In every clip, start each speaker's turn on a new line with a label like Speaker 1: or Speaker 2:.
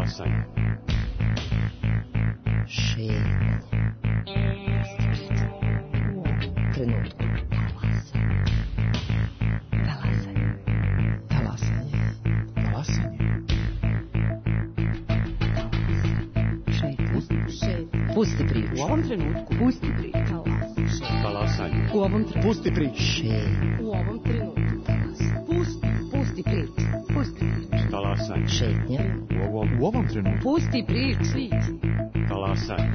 Speaker 1: Talasanje.
Speaker 2: Šetnje. U ovom trenutku. Talasanje. Talasanje. Talasanje. Šetnje. Pusti priču.
Speaker 3: U ovom trenutku.
Speaker 2: Pusti priču.
Speaker 1: Talasanje.
Speaker 3: U ovom trenutku.
Speaker 4: Pusti priču.
Speaker 2: Šetnje.
Speaker 3: U ovom trenutku.
Speaker 2: Pusti priču. Pusti priču.
Speaker 1: Talasanje.
Speaker 2: Šetnje.
Speaker 1: U ovom trenutku.
Speaker 2: Pusti priču.
Speaker 1: Talasanje.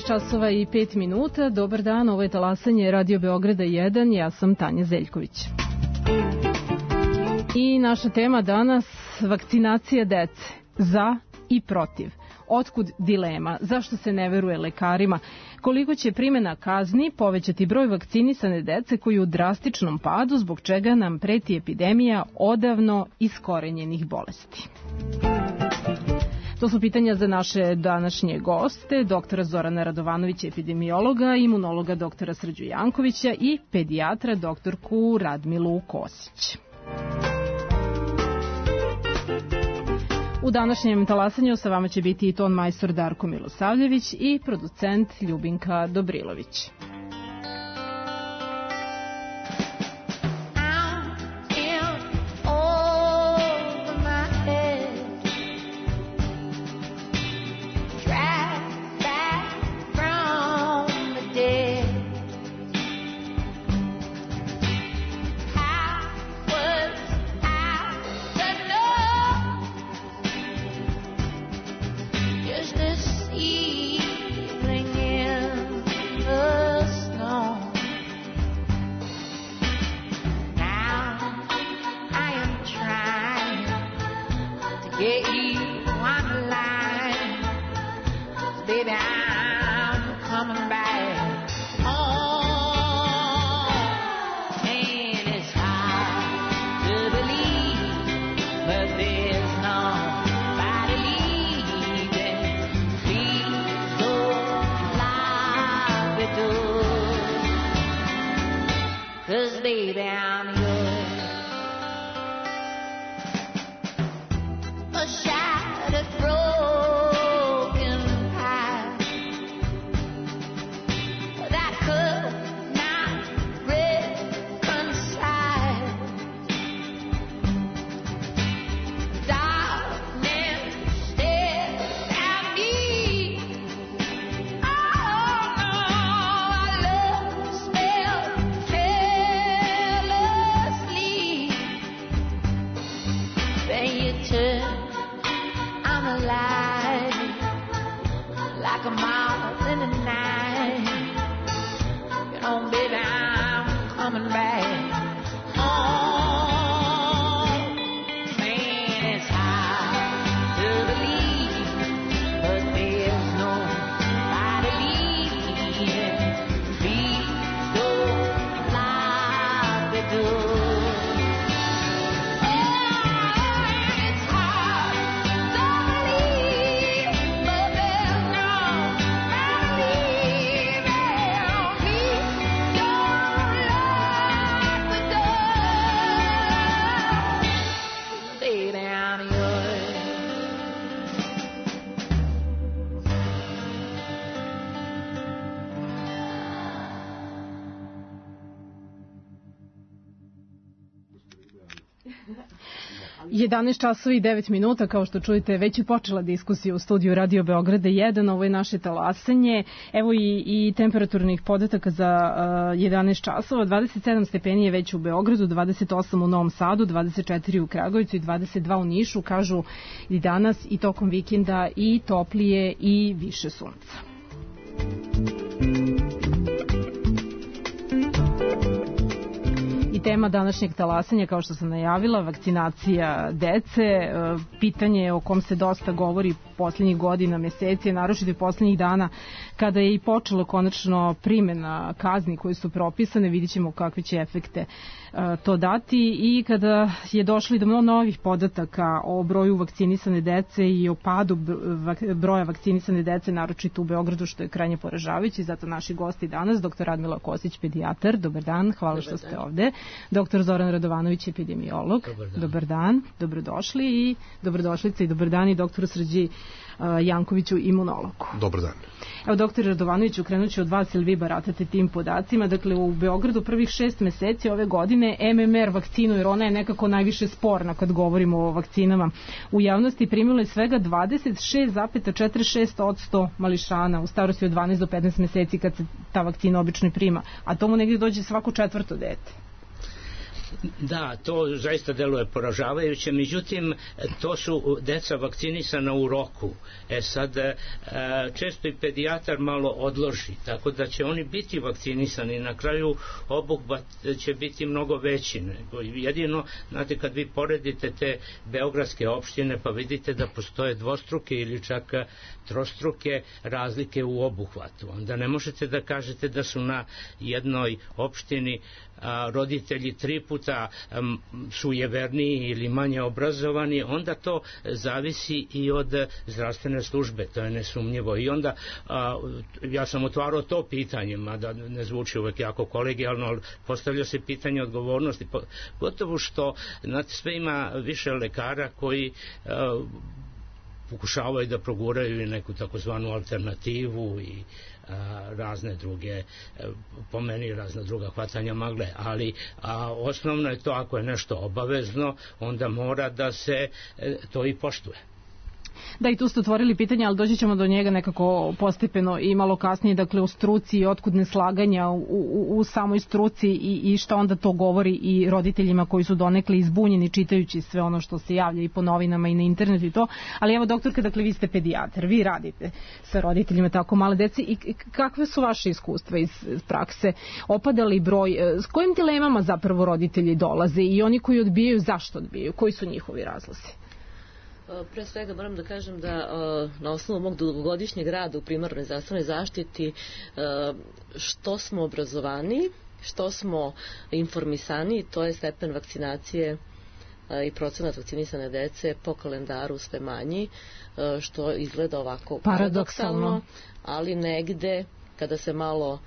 Speaker 3: časova i 5 minuta. Dobar dan, ovo je Talasanje Radio Beograda 1. Ja sam Tanja Zeljković. I naša tema danas, vakcinacija dece. Za i protiv. Otkud dilema? Zašto se ne veruje lekarima? Koliko će primjena kazni povećati broj vakcinisane dece koji u drastičnom padu, zbog čega nam preti epidemija odavno iskorenjenih bolesti? To su pitanja za naše današnje goste, doktora Zorana Radovanovića, epidemiologa, imunologa doktora Srđu Jankovića i pedijatra doktorku Radmilu Kosić. U današnjem Talasanju sa vama će biti i ton majstor Darko Milosavljević i producent Ljubinka Dobrilović. 11 časova i 9 minuta, kao što čujete, već je počela diskusija u studiju Radio Beograda 1, ovo je naše talasanje. Evo i temperaturnih podataka za 11 časova, 27 stepeni je već u Beogradu, 28 u Novom Sadu, 24 u Kragujevcu i 22 u Nišu, kažu i danas i tokom vikenda i toplije i više sunca. Tema današnjeg talasanja, kao što sam najavila, vakcinacija dece, pitanje o kom se dosta govori poslednjih godina, meseci, naročito i poslednjih dana, kada je i počelo konačno primena kazni koje su propisane, vidit ćemo kakve će efekte to dati, i kada je došlo do novih podataka o broju vakcinisane dece i o padu broja vakcinisane dece, naročito u Beogradu, što je krajnje poražavajuće. Zato naši gosti danas, dr. Radmila Kosić, pedijatar, dobar dan, hvala što ste ovde. Dr. Zoran Radovanović, epidemiolog, dobar dan, dobrodošli, i dobrodošlice i dobar dan i dr. Srđi Jankoviću, imunologu.
Speaker 4: Dobar dan.
Speaker 3: Evo, dr. Radovanoviću, krenut ću od vas, ili vi baratate tim podacima. Dakle, u Beogradu prvih 6 meseci ove godine MMR vakcinu, jer ona je nekako najviše sporna kad govorimo o vakcinama u javnosti, primilo je svega 26,46% mališana u starosti od 12 do 15 meseci kad se ta vakcina obično prima, a tomu negdje dođe svako 4. dete.
Speaker 5: Da, to zaista deluje poražavajuće, međutim, to su deca vakcinisana u roku. Sad, često i pedijatar malo odloži, tako da će oni biti vakcinisani. Na kraju obuhvat će biti mnogo veći. Jedino, znate, kad vi poredite te beogradske opštine, pa vidite da postoje dvostruke ili čak trostruke razlike u obuhvatu. Onda ne možete da kažete da su na jednoj opštini roditelji 3 puta sujeverniji ili manje obrazovani, onda to zavisi i od zdravstvene službe, to je nesumnjivo. I onda ja sam otvarao to pitanje, mada ne zvuči uvek jako kolegijalno, ali postavlja se pitanje odgovornosti, gotovo što sve ima više lekara koji pokušavaju da proguraju neku takozvanu alternativu i razne druge, po meni razna druga hvatanja magle, ali osnovno je to, ako je nešto obavezno, onda mora da se to i poštuje.
Speaker 3: Da, i tu ste otvorili pitanje, ali doći ćemo do njega nekako postepeno i malo kasnije, dakle o struci i otkud neslaganja u samoj struci i šta onda to govori i roditeljima koji su donekle izbunjeni čitajući sve ono što se javlja i po novinama i na internetu i to. Ali evo, doktorka, dakle vi ste pedijatar, vi radite sa roditeljima tako male dece, i kakve su vaše iskustva iz prakse? Opada li broj? S kojim dilemama zapravo roditelji dolaze i oni koji odbijaju, zašto odbijaju? Koji su njihovi razlozi?
Speaker 6: Pre svega moram da kažem da na osnovu mog dugogodišnjeg rada u primarnoj zdravstvenoj zaštiti, što smo obrazovani, što smo informisani, to je stepen vakcinacije i procenat vakcinisane dece po kalendaru sve manji, što izgleda ovako paradoksalno, ali negde kada se malo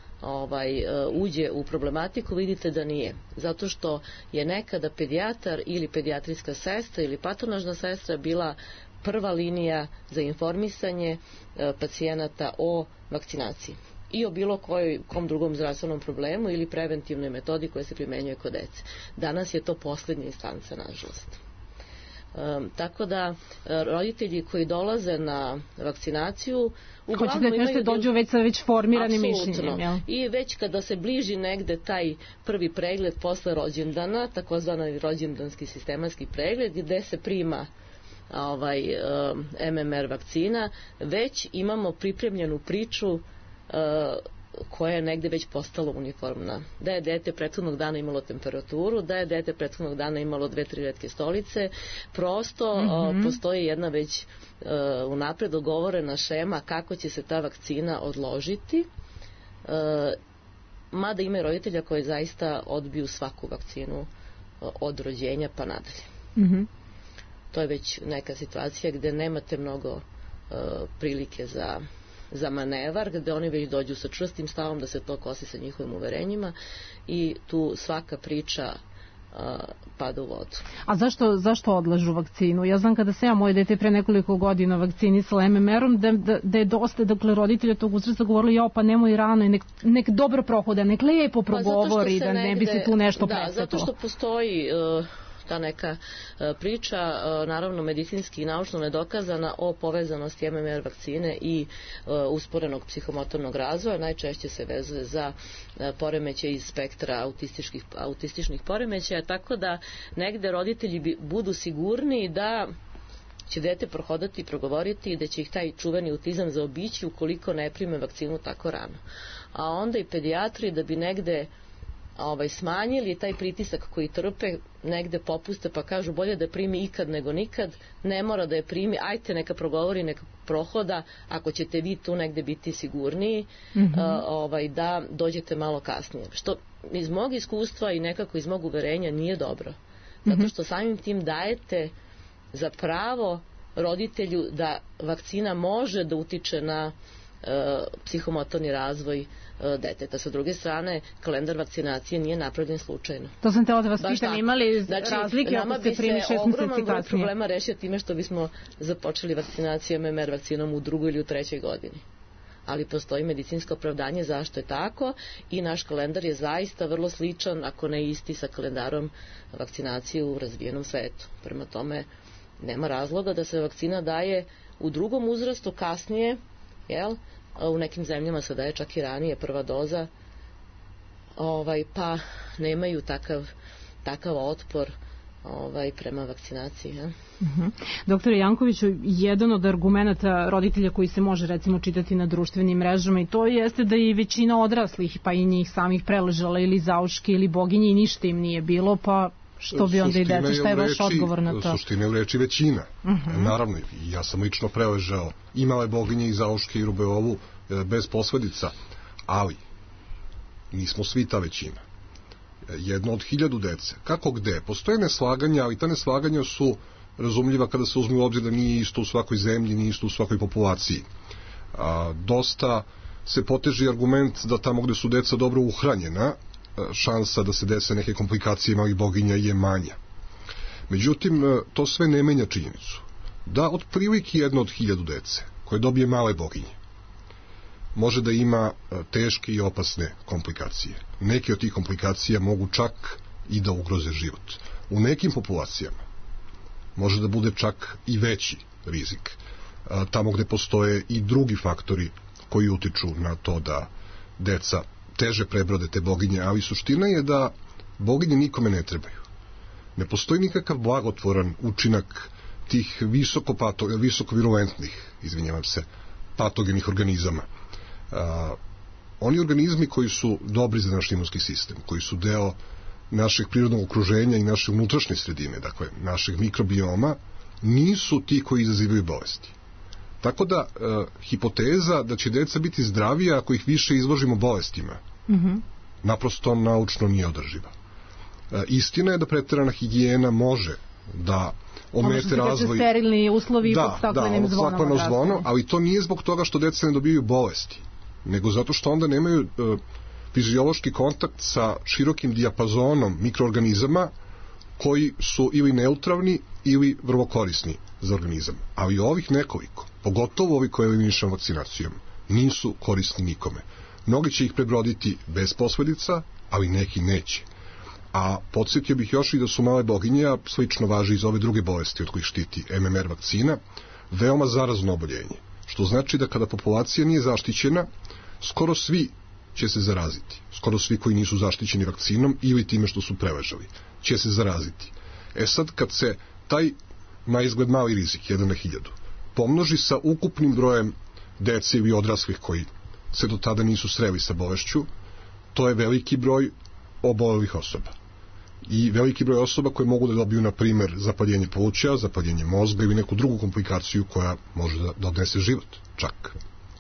Speaker 6: uđe u problematiku, vidite da nije. Zato što je nekada pedijatar ili pedijatrijska sestra ili patronažna sestra bila prva linija za informisanje pacijenata o vakcinaciji i o bilo kom drugom zdravstvenom problemu ili preventivnoj metodi koja se primenjuje kod dece. Danas je to poslednja instanca, nažalost. Tako da roditelji koji dolaze na vakcinaciju uglavnom imaju... Hoćete da dođu već sa već formiranim mišljenjem, jel? I već kada se bliži negde taj prvi pregled posle rođendana, takozvani rođendanski sistematski pregled, gde se prima MMR vakcina, već imamo pripremljenu priču koja je negde već postala uniformna. Da je dete prethodnog dana imalo temperaturu, da je dete prethodnog dana imalo 2-3 retke stolice, prosto postoji jedna već unapred dogovorena šema kako će se ta vakcina odložiti, mada ima i roditelja koji zaista odbiju svaku vakcinu od rođenja pa nadalje. To je već neka situacija gde nemate mnogo prilike za manevar, gde oni već dođu sa čvrstim stavom da se to kosi sa njihovim uverenjima i tu svaka priča pada u vodu. A zašto odlažu vakcinu? Ja znam kada se ja moje dete pre nekoliko godina vakcinisala MMR-om da je dosta, dakle, roditelja tog uzrasta govorili, pa nemoj rano i nek dobro prohoda, nek lepo progovori, da ne bi se tu nešto presetilo. Da, zato što postoji ta neka priča, naravno medicinski i naučno nedokazana, o povezanosti MMR vakcine i usporenog psihomotornog razvoja. Najčešće se vezuje za poremećaj iz spektra autističnih poremećaja, tako da negde roditelji budu sigurniji da će dete prohodati i progovoriti i da će ih taj čuveni autizam zaobići ukoliko ne prime vakcinu tako rano. A onda i pedijatri da bi negde smanjili taj pritisak koji trpe, negde popuste pa kažu bolje da primi ikad nego nikad, ne mora da je primi, ajte neka progovori, neka prohoda, ako ćete vi tu negde biti sigurniji, da dođete malo kasnije. Što iz mog iskustva i nekako iz mog uverenja nije dobro. Zato što samim tim dajete za pravo roditelju da vakcina može da utiče na psihomotorni razvoj deteta. Sa druge strane, kalendar vakcinacije nije napravljen slučajno.
Speaker 3: To sam tela da vas pitam, imali razlike ako se primi 6 meseci kasnije? Nama bi se ogroman broj problema rešio time što bismo započeli vakcinaciju MMR vakcinom u 2. ili u 3. godini. Ali postoji medicinsko opravdanje zašto je tako i naš kalendar je zaista vrlo sličan, ako ne isti, sa kalendarom vakcinacije u razvijenom svetu. Prema tome, nema razloga da se vakcina daje u 2. uzrastu kasnije, u nekim zemljama se daje čak i ranije prva doza, pa nemaju takav otpor prema vakcinaciji. Doktore Jankoviću, jedan od argumenta roditelja koji se može recimo čitati na društvenim mrežama i to jeste da i većina odraslih, pa i njih samih preležala ili zauške ili boginje i ništa im nije bilo, pa što bi onda i deca, šta je vaš odgovor na to?
Speaker 4: Suština je u reči većina. Naravno, ja sam lično preležao i male boginje i zauške i rubeolu bez posledica, ali nismo svi ta većina. Jedno od 1000 dece. Kako gde? Postoje neslaganja, ali ta neslaganja su razumljiva kada se uzme u obzir da nije isto u svakoj zemlji, nije isto u svakoj populaciji. Dosta se poteži argument da tamo gde su deca dobro uhranjena, šansa da se dese neke komplikacije malih boginja je manja. Međutim, to sve ne menja činjenicu da otprilike jedno od 1000 dece koje dobije male boginje može da ima teške i opasne komplikacije. Neke od tih komplikacija mogu čak i da ugroze život. U nekim populacijama može da bude čak i veći rizik. Tamo gde postoje i drugi faktori koji utiču na to da deca teže prebrode te boginje, ali suština je da boginje nikome ne trebaju. Ne postoji nikakav blagotvoran učinak tih visoko virulentnih, patogenih organizama. Oni organizmi koji su dobri za naš imunski sistem, koji su deo našeg prirodnog okruženja i naše unutrašnje sredine, dakle našeg mikrobioma, nisu ti koji izazivaju bolesti. Tako da hipoteza da će deca biti zdravija ako ih više izložimo bolestima naprosto naučno nije održiva. Istina je da preterana higijena može da omete razvoj.
Speaker 3: Sterilni uslovi pod staklenim zvonom.
Speaker 4: Ali to nije zbog toga što deca ne dobijaju bolesti, nego zato što onda nemaju fiziološki kontakt sa širokim dijapazonom mikroorganizama koji su ili neutralni ili vrlo korisni za organizam. Ali ovih nekoliko, pogotovo ovi koje eliminišemo vakcinacijom, nisu korisni nikome. Mnogi će ih prebroditi bez posledica, ali neki neće. A podsjetio bih još i da su male boginje, a slično važi i za ove druge bolesti od kojih štiti MMR vakcina, veoma zarazno oboljenje. Što znači da kada populacija nije zaštićena, skoro svi će se zaraziti. Skoro svi koji nisu zaštićeni vakcinom ili time što su preležali će se zaraziti. Sad, kad se taj na izgled mali rizik, 1 na 1000, pomnoži sa ukupnim brojem dece ili odraslih koji se do tada nisu sreli sa bolešću, to je veliki broj obolelih osoba. I veliki broj osoba koje mogu da dobiju, na primer, zapaljenje pluća, zapaljenje mozga ili neku drugu komplikaciju koja može da odnese život, čak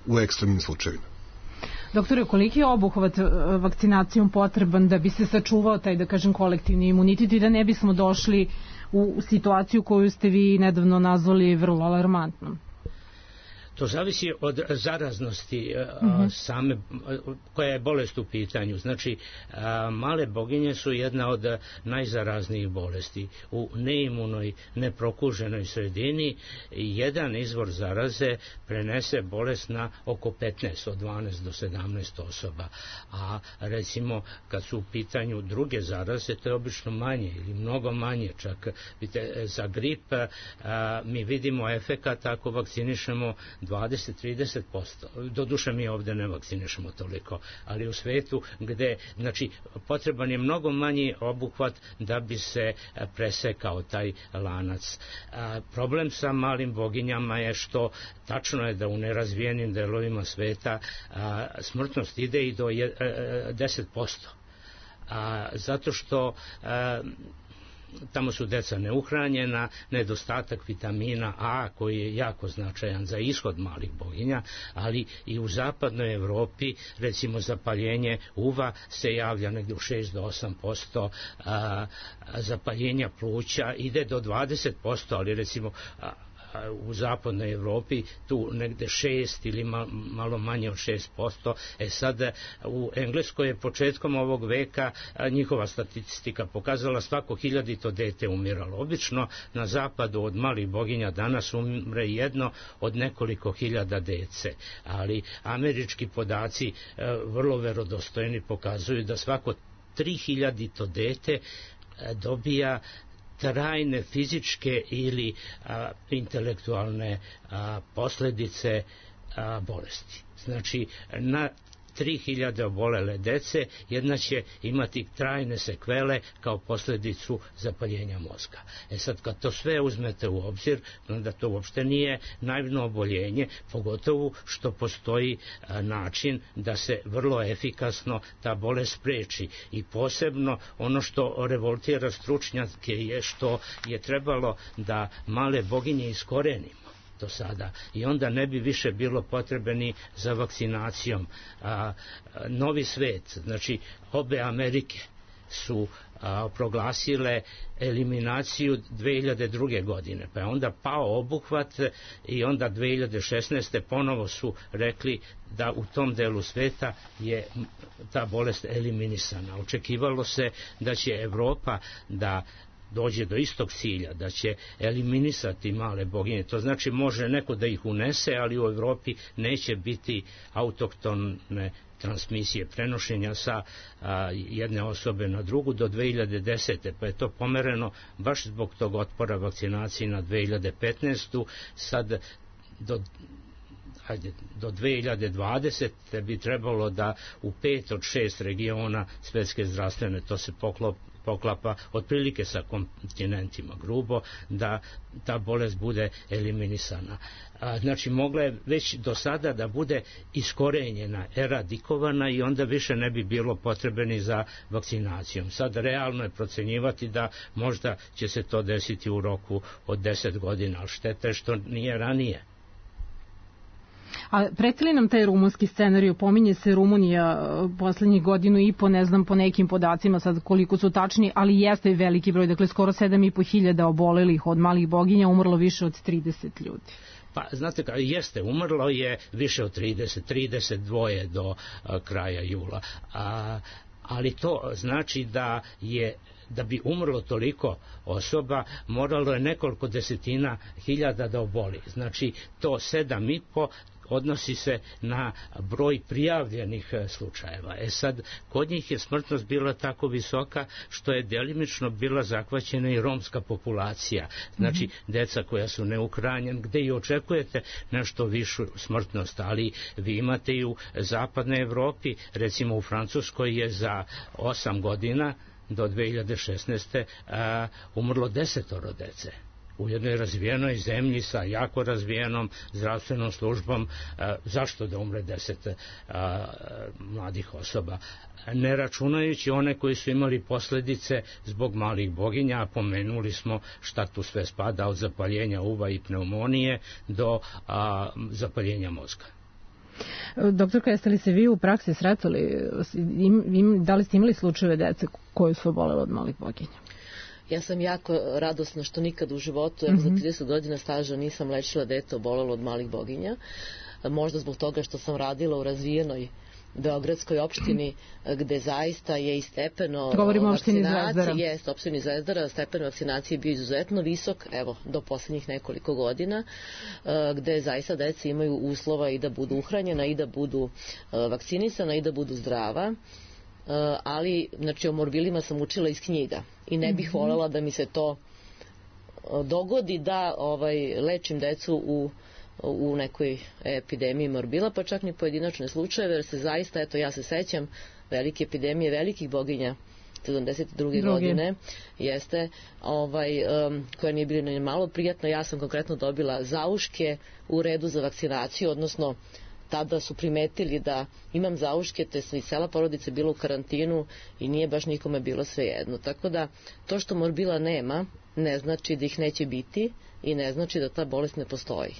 Speaker 4: u ekstremnim slučajevima.
Speaker 3: Doktore, koliki je obuhvat vakcinacijom potreban da bi se sačuvao taj, da kažem, kolektivni imunitet i da ne bismo došli u situaciju koju ste vi nedavno nazvali vrlo alarmantnom?
Speaker 5: To zavisi od zaraznosti same, koja je bolest u pitanju. Znači, male boginje su jedna od najzaraznijih bolesti. U neimunoj, neprokuženoj sredini jedan izvor zaraze prenese bolest na oko 15, od 12 do 17 osoba. A recimo, kad su u pitanju druge zaraze, to je obično manje ili mnogo manje. Čak za grip mi vidimo efekat ako vakcinišemo 20-30%. Doduše mi ovde ne vakcinišemo toliko, ali u svetu gde, znači, potreban je mnogo manji obuhvat da bi se presekao taj lanac. Problem sa malim boginjama je što tačno je da u nerazvijenim delovima sveta smrtnost ide i do 10%. Zato što tamo su deca neuhranjena, nedostatak vitamina A koji je jako značajan za ishod malih boginja, ali i u zapadnoj Evropi recimo zapaljenje uva se javlja negdje u 6 do 8%, zapaljenja pluća ide do 20%, ali recimo u zapadnoj Evropi tu negde 6 ili malo manje od 6%. Sad u Engleskoj je početkom ovog veka njihova statistika pokazala svako 1000 dete umiralo. Obično na zapadu od malih boginja danas umre jedno od nekoliko hiljada dece, ali američki podaci vrlo verodostojni pokazuju da svako 3000 dete dobija trajne fizičke ili intelektualne posledice bolesti. Znači, na 3000 obolele dece jedna će imati trajne sekvele kao posljedicu zapaljenja mozga. Sad kad to sve uzmete u obzir, onda to uopšte nije naivno oboljenje, pogotovo što postoji način da se vrlo efikasno ta bolest spreči. I posebno ono što revoltira stručnjake je što je trebalo da male boginje iskorenimo do sada i onda ne bi više bilo potrebe ni za vakcinacijom. Novi svet, znači obe Amerike su proglasile eliminaciju 2002. godine, pa je onda pao obuhvat i onda 2016. ponovo su rekli da u tom delu sveta je ta bolest eliminisana. Očekivalo se da će Evropa da dođe do istog cilja, da će eliminisati male boginje. To znači može neko da ih unese, ali u Evropi neće biti autohtone transmisije, prenošenja sa jedne osobe na drugu do 2010. Pa je to pomereno baš zbog tog otpora vakcinaciji na 2015. Sad do 2020. bi trebalo da u 5 od 6 regiona svetske zdravstvene, to se poklapa otprilike sa kontinentima grubo, da ta bolest bude eliminisana. Znači mogla je već do sada da bude iskorenjena, eradikovana i onda više ne bi bilo potrebe ni za vakcinacijom. Sad realno je procenjivati da možda će se to desiti u roku od 10 godina, ali šteta je što nije ranije.
Speaker 3: A preti li nam taj rumunski scenarij? Pominje se Rumunija poslednjih godinu i po, ne znam po nekim podacima sad koliko su tačni, ali jeste veliki broj, dakle skoro 7.500 obolelih od malih boginja, umrlo više od 30 ljudi.
Speaker 5: Pa, znate, jeste, umrlo je više od 32 do kraja jula. Ali to znači da bi umrlo toliko osoba, moralo je nekoliko desetina hiljada da oboli. Znači, to 7,5 odnosi se na broj prijavljenih slučajeva. Sad, kod njih je smrtnost bila tako visoka što je delimično bila zahvaćena i romska populacija. Znači, deca koja su neuhranjena, gde i očekujete nešto višu smrtnost, ali vi imate i u zapadnoj Evropi, recimo u Francuskoj je za 8 godina do 2016. Umrlo 10 dece. U jednoj razvijenoj zemlji sa jako razvijenom zdravstvenom službom, zašto da umre 10 mladih osoba? Ne računajući one koji su imali posledice zbog malih boginja, a pomenuli smo šta tu sve spada od zapaljenja uva i pneumonije do zapaljenja mozga.
Speaker 3: Doktorka, jeste li se vi u praksi sretali, da li ste imali slučajeve dece koje su obolele od malih boginja?
Speaker 6: Ja sam jako radosna što nikad u životu, evo za 30 godina staža nisam lečila dete obolelo od malih boginja. Možda zbog toga što sam radila u razvijenoj beogradskoj opštini gde zaista je i stepeno vakcinacije, jest opštini Zvezdara, stepen vakcinacije je bio izuzetno visok, evo, do poslednjih nekoliko godina, gde zaista deca imaju uslova i da budu uhranjena i da budu vakcinisana i da budu zdrava. Ali, znači, o morbilima sam učila iz knjiga i ne bih voljela da mi se to dogodi da lečim decu u nekoj epidemiji morbila, pa čak ni pojedinačne slučajeve, jer se zaista, eto, ja se sećam velike epidemije velikih boginja 72. godine, jeste, koja nije bila ni malo prijatna. Ja sam konkretno dobila zauške u redu za vakcinaciju, odnosno tada su primetili da imam zauške, te i cela porodica bila u karantinu i nije baš nikome bilo svejedno. Tako da, to što morbila nema, ne znači da ih neće biti i ne znači da ta bolest ne postoji.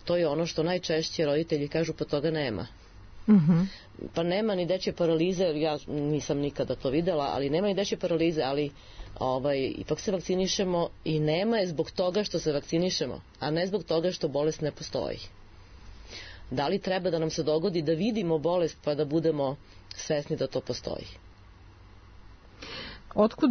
Speaker 6: To je ono što najčešće roditelji kažu, pa toga nema. Pa nema ni dečje paralize, ja nisam nikada to videla, ali nema ni dečje paralize, ali ipak se vakcinišemo i nema je zbog toga što se vakcinišemo, a ne zbog toga što bolest ne postoji. Da li treba da nam se dogodi da vidimo bolest pa da budemo svesni da to postoji?
Speaker 3: Otkud,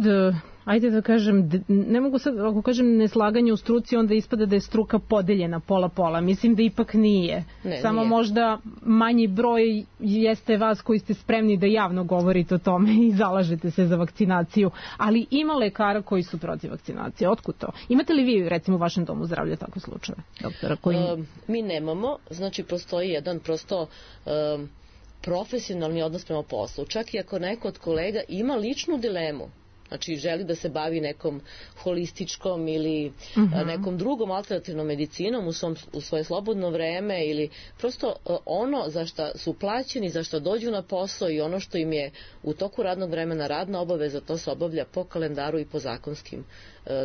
Speaker 3: ajde da kažem, ne mogu sad, ako kažem neslaganje u struci, onda ispada da je struka podeljena pola-pola. Mislim da ipak nije. Samo nije. Možda manji broj jeste vas koji ste spremni da javno govorite o tome i zalažete se za vakcinaciju. Ali ima lekara koji su protiv vakcinacije. Otkud to? Imate li vi, recimo, u vašem domu zdravlja takve slučajeve, doktora?
Speaker 6: Mi nemamo. Znači, postoji jedan prosto profesionalni odnos prema poslu. Čak i ako neko od kolega ima ličnu dilemu, znači želi da se bavi nekom holističkom ili nekom drugom alternativnom medicinom u svoje slobodno vreme ili prosto ono za što su plaćeni, za što dođu na posao i ono što im je u toku radnog vremena radna obaveza, to se obavlja po kalendaru i po zakonskim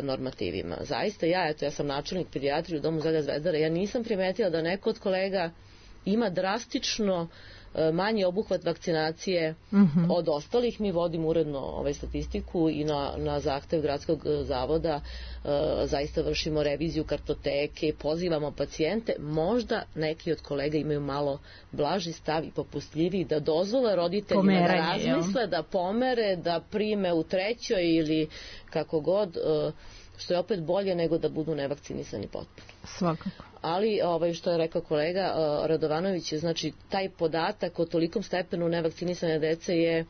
Speaker 6: normativima. Zaista ja sam načelnik pedijatrije u Domu zdravlja Zvezdara, ja nisam primetila da neko od kolega ima drastično manji obuhvat vakcinacije od ostalih. Mi vodimo uredno statistiku i na zahtev gradskog zavoda zaista vršimo reviziju kartoteke, pozivamo pacijente. Možda neki od kolega imaju malo blaži stav i popustljiviji, da dozvole roditeljima da razmisle, da pomere, da prime u trećoj ili kako god, što je opet bolje nego da budu nevakcinisani potpuno.
Speaker 3: Svakako.
Speaker 6: Ali, što je rekao kolega Radovanović, znači taj podatak o tolikom stepenu nevakcinisane dece je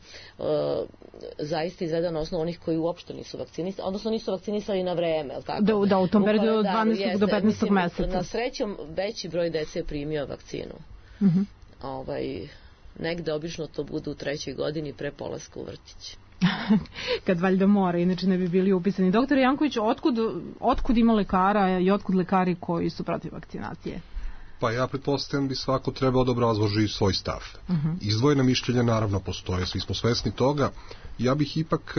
Speaker 6: zaista izvedan na osnovu onih koji uopšte nisu vakcinisani, odnosno nisu vakcinisani na vreme. Tako?
Speaker 3: Da, u tom periodu od 12. do 15. meseca.
Speaker 6: Na srećom, veći broj dece je primio vakcinu. Negde obično to bude u 3. godini pre polaska u vrtić.
Speaker 3: Kad valjda mora, inače ne bi bili upisani. Doktor Janković, otkud ima lekara i otkud lekari koji su protiv vakcinacije?
Speaker 4: Pa ja pretpostavljam bi svako trebao da obrazloži svoj stav. Izdvojena mišljenja naravno postoje, svi smo svesni toga. Ja bih ipak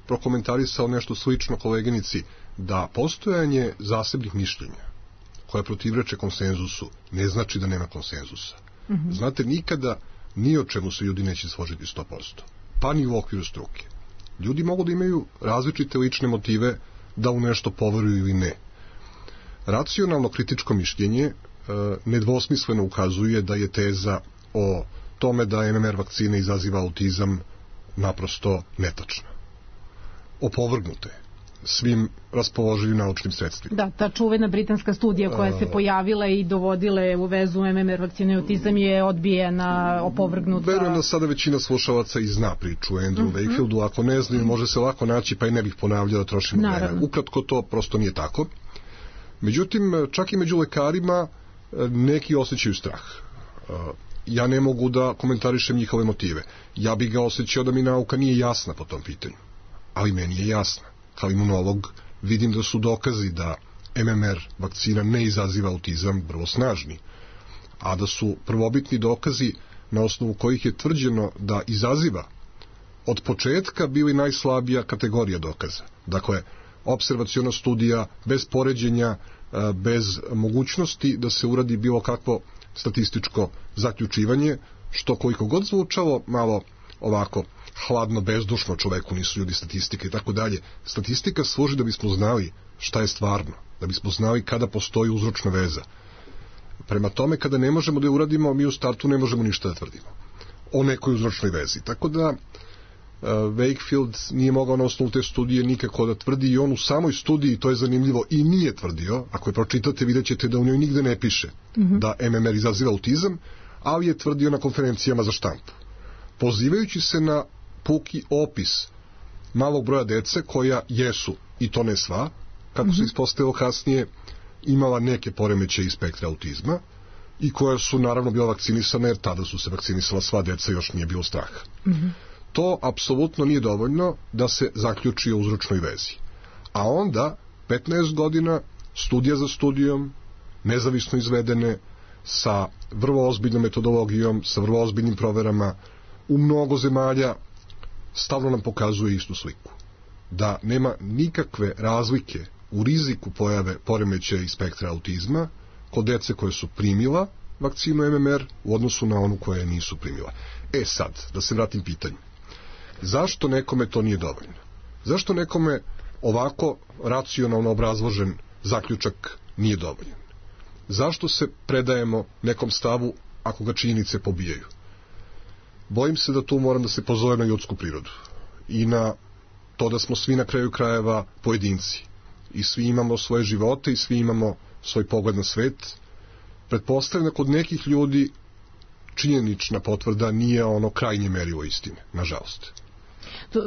Speaker 4: prokomentarisao nešto slično koleginici, da postojanje zasebnih mišljenja koja protivreče konsenzusu ne znači da nema konsenzusa. Znate, nikada ni o čemu se ljudi neće složiti 100%. Pa ni u okviru struke. Ljudi mogu da imaju različite lične motive da u nešto poveruju ili ne. Racionalno kritičko mišljenje nedvosmisleno ukazuje da je teza o tome da MMR vakcina izaziva autizam naprosto netačna. Opovrgnute svim raspoloživim naučnim sredstvima.
Speaker 3: Da, ta čuvena britanska studija koja se pojavila i dovodile u vezu MMR vakcine i autizam je odbijena, opovrgnuta.
Speaker 4: Verujem da sada većina slušalaca i zna priču o Andrew Wakefieldu, ako ne znaju može se lako naći, pa i ne bih ponavljao da trošimo vreme. Ukratko to prosto nije tako. Međutim, čak i među lekarima neki osjećaju strah. Ja ne mogu da komentarišem njihove motive. Ja bih ga osjećao da mi nauka nije jasna po tom pitanju. Ali meni je jasna. Kao imunolog vidim da su dokazi da MMR vakcina ne izaziva autizam vrlo snažni, a da su prvobitni dokazi na osnovu kojih je tvrđeno da izaziva od početka bili najslabija kategorija dokaza. Dakle, opservaciona studija bez poređenja, bez mogućnosti da se uradi bilo kakvo statističko zaključivanje, što koliko god zvučalo malo ovako hladno, bezdušno čoveku, nisu ljudi statistike i tako dalje. Statistika služi da bismo znali šta je stvarno, da bismo znali kada postoji uzročna veza. Prema tome, kada ne možemo da je uradimo, mi u startu ne možemo ništa da tvrdimo o nekoj uzročnoj vezi. Tako da Wakefield nije mogao na osnovu te studije nikako da tvrdi, i on u samoj studiji, to je zanimljivo, i nije tvrdio. Ako je pročitate, vidjet ćete da u njoj nigde ne piše da MMR izaziva autizam, ali je tvrdio na konferencijama za štampu, pozivajući se na puki opis malog broja dece koja jesu, i to ne sva, kako se ispostavilo kasnije, imala neke poremećaje iz spektra autizma i koja su naravno bila vakcinisana, jer tada su se vakcinisala sva deca, još nije bilo straha. To apsolutno nije dovoljno da se zaključi o uzročnoj vezi. A onda 15 godina studija za studijom, nezavisno izvedene, sa vrlo ozbiljnom metodologijom, sa vrlo ozbiljnim proverama, u mnogo zemalja stalno nam pokazuje istu sliku. Da nema nikakve razlike u riziku pojave poremećaja iz spektra autizma kod dece koje su primila vakcinu MMR u odnosu na onu koje nisu primila. Sad, da se vratim pitanju. Zašto nekome to nije dovoljno? Zašto nekome ovako racionalno obrazložen zaključak nije dovoljan? Zašto se predajemo nekom stavu ako ga činjenice pobijaju? Bojim se da tu moram da se pozove na ljudsku prirodu i na to da smo svi na kraju krajeva pojedinci i svi imamo svoje živote i svi imamo svoj pogled na svet. Pretpostavljam da kod nekih ljudi činjenična potvrda nije ono krajnje merilo istine, nažalost.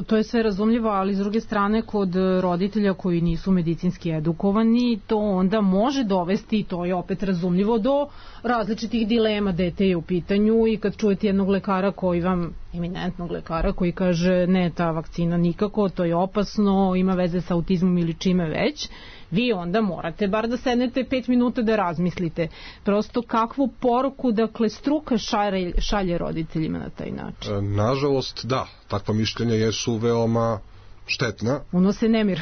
Speaker 3: To je sve razumljivo, ali s druge strane kod roditelja koji nisu medicinski edukovani, to onda može dovesti, i to je opet razumljivo, do različitih dilema. Dete je u pitanju i kad čujete jednog lekara koji vam, eminentnog lekara, koji kaže ne, ta vakcina nikako, to je opasno, ima veze sa autizmom ili čime već, vi onda morate bar da sednete 5 minuta da razmislite. Prosto kakvu poruku, dakle, struka šalje roditeljima na taj način?
Speaker 4: Nažalost, da. Takva mišljenja jesu veoma štetna.
Speaker 3: Unose nemir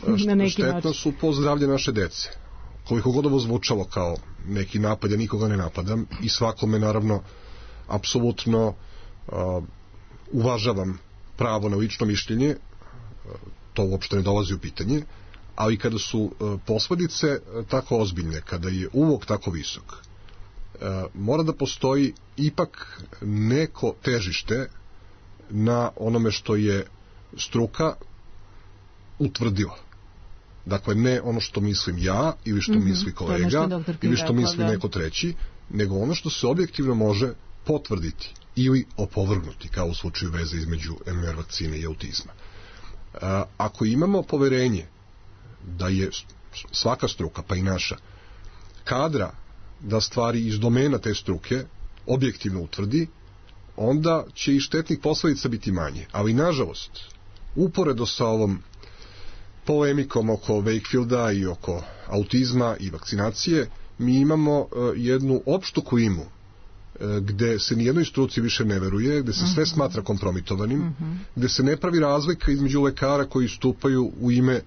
Speaker 3: na neki način.
Speaker 4: Štetna su po zdravlje naše dece. Koliko god ovo zvučalo kao neki napad, ja nikoga ne napadam i svakome, naravno, apsolutno uvažavam pravo na lično mišljenje, to uopšte ne dolazi u pitanje, ali kada su posledice tako ozbiljne, kada je ulog tako visok, mora da postoji ipak neko težište na onome što je struka utvrdila. Dakle, ne ono što mislim ja ili što misli kolega ili što misli neko treći, nego ono što se objektivno može potvrditi ili opovrgnuti, kao u slučaju veze između MMR vakcine i autizma. Ako imamo poverenje da je svaka struka, pa i naša, kadra da stvari iz domena te struke objektivno utvrdi, onda će i štetnih posledica biti manje. Ali, nažalost, uporedo sa ovom polemikom oko Wakefielda i oko autizma i vakcinacije, mi imamo jednu opštu klimu gde se nijednoj struci više ne veruje, gde se sve smatra kompromitovanim, gde se ne pravi razlika između lekara koji stupaju u ime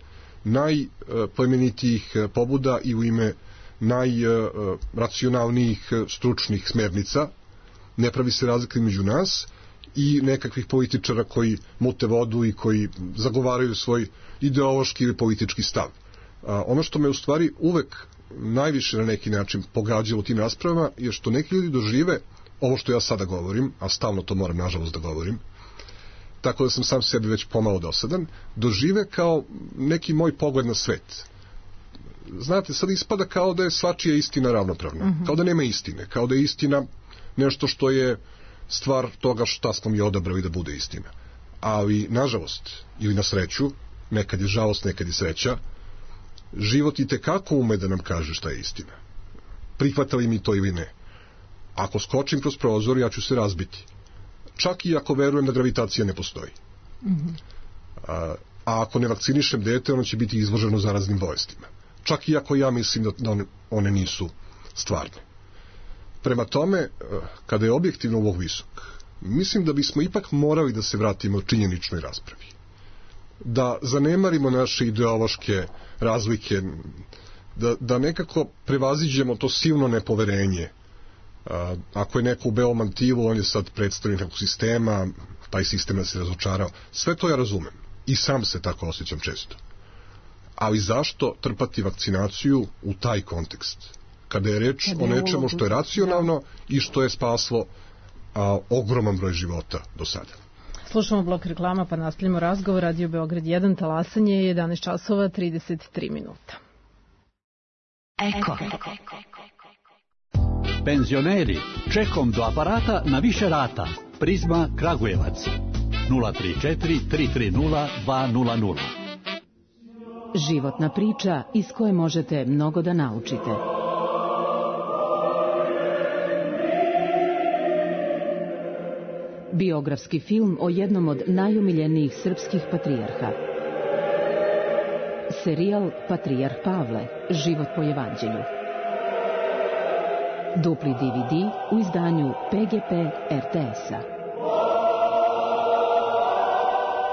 Speaker 4: najplemenitijih pobuda i u ime najracionalnijih stručnih smernica. Ne pravi se razlika između nas i nekakvih političara koji mute vodu i koji zagovaraju svoj ideološki ili politički stav. Ono što me u stvari uvek najviše na neki način pogađalo u tim raspravama je što neki ljudi dožive ovo što ja sada govorim, a stalno to moram nažalost da govorim, tako da sam sam sebi već pomalo dosadan, dožive kao neki moj pogled na svet. Znate, sad ispada kao da je svačija istina ravnopravna, kao da nema istine, kao da je istina nešto što je stvar toga šta smo mi odabrali da bude istina. Ali, nažalost, ili na sreću, nekad je žalost, nekad je sreća, život i tekako ume da nam kaže šta je istina. Prihvatali mi to ili ne. Ako skočim kroz prozor, ja ću se razbiti. Čak i ako verujem da gravitacija ne postoji. A ako ne vakcinišem dete, ono će biti izloženo zaraznim bolestima. Čak i ako ja mislim da one nisu stvarne. Prema tome, kada je objektivno ulog visok, mislim da bismo ipak morali da se vratimo činjeničnoj raspravi. Da zanemarimo naše ideološke razlike, da nekako prevaziđemo to silno nepoverenje Ako je neko u belom mantilu, on je sad predstavnik nekog sistema, taj sistem je se razočarao. Sve to ja razumem. I sam se tako osjećam često. Ali zašto trpati vakcinaciju u taj kontekst? Kada je reč o nečemu što je racionalno i što je spaslo ogroman broj života do sada.
Speaker 3: Slušamo blok reklama pa nastavljamo razgovor. Radio Beograd 1, talasanje je 11 časova 33 minuta.
Speaker 7: Eko. Penzioneri, čekom do aparata na više rata. Prizma Kragujevac 034 330 200.
Speaker 2: Životna priča iz koje možete mnogo da naučite. Biografski film o jednom od najumiljenijih srpskih patrijarha. Serijal Patrijarh Pavle, život po evanđelju. Dupli DVD u izdanju PGP RTS-a.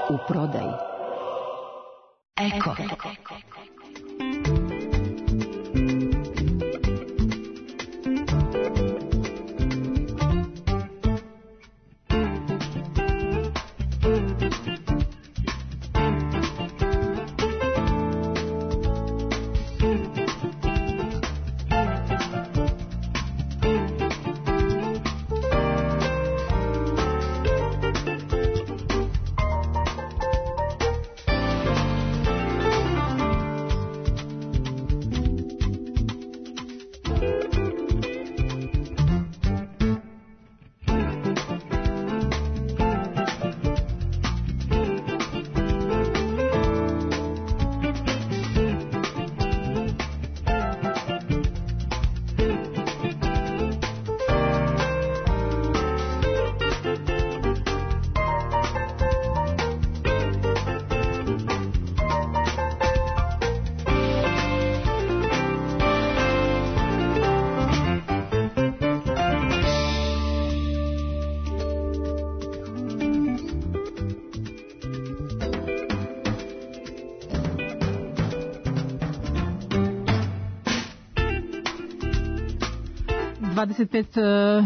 Speaker 2: U prodaji. Eko.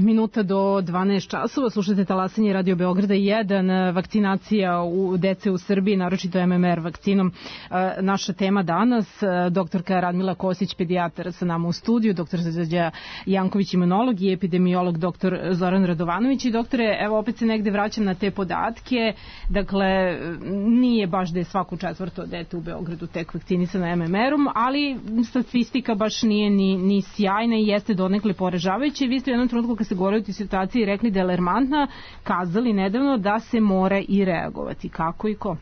Speaker 3: Minuta do 12 časova. Slušajte talasanje Radio Beograda 1, vakcinacija u dece u Srbiji, naročito MMR vakcinom. Naša tema danas, doktorka Radmila Kosić, pedijatar sa nama u studiju, doktor Srđa Janković, imunolog i epidemiolog doktor Zoran Radovanović. I doktore, evo opet se negde vraćam na te podatke. Dakle, nije baš da je svako četvrto dete u Beogradu tek vakcinisano MMR-om, ali statistika baš nije ni sjajna i jeste donekle poražavajuća. Vi ste u jednom trenutku kad ste govorili o toj situaciji rekli da je alarmantna, kazali nedavno da se mora i reagovati. Kako i ko?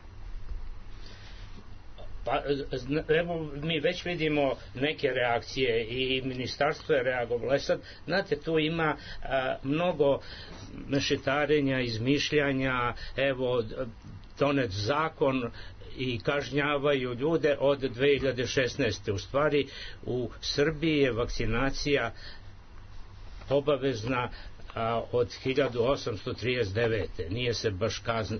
Speaker 5: Pa, evo, mi već vidimo neke reakcije i ministarstvo je reagovalo. Sad, znate, tu ima mnogo mešetarenja, izmišljanja, evo, donet zakon i kažnjavaju ljude od 2016. U stvari, u Srbiji je vakcinacija obavezna od 1839. Nije se baš kazna,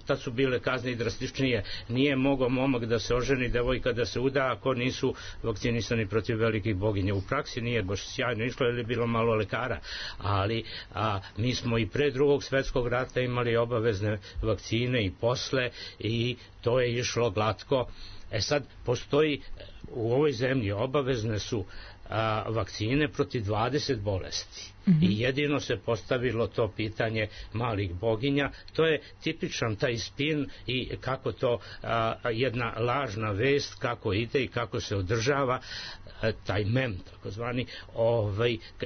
Speaker 5: tad su bile kazne i drastičnije. Nije mogao momak da se oženi, devojka da se uda ako nisu vakcinisani protiv velikih boginja. U praksi nije baš sjajno išlo jer je bilo malo lekara, ali mi smo i pre Drugog svetskog rata imali obavezne vakcine i posle i to je išlo glatko. Sad postoji u ovoj zemlji obavezne su vakcine protiv 20 bolesti. I jedino se postavilo to pitanje malih boginja. To je tipičan taj spin i kako to jedna lažna vest kako ide i kako se održava taj mem takozvani.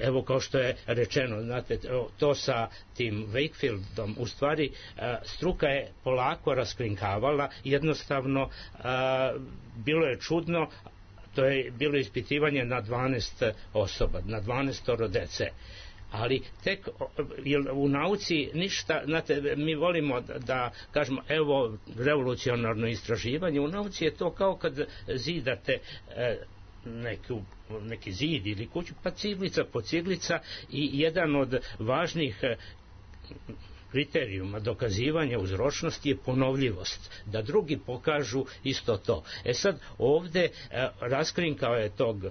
Speaker 5: Evo kao što je rečeno, znate, to sa tim Wakefieldom u stvari struka je polako raskrinkavala, jednostavno bilo je čudno. To je bilo ispitivanje na 12 osoba, na 12 dece. Ali tek u nauci ništa, znate, mi volimo da kažemo evo revolucionarno istraživanje, u nauci je to kao kad zidate neki zid ili kuću, pa ciglica po ciglica i jedan od važnih kriterijuma dokazivanja uzročnosti je ponovljivost, da drugi pokažu isto to. Sad ovde raskrinkao je tog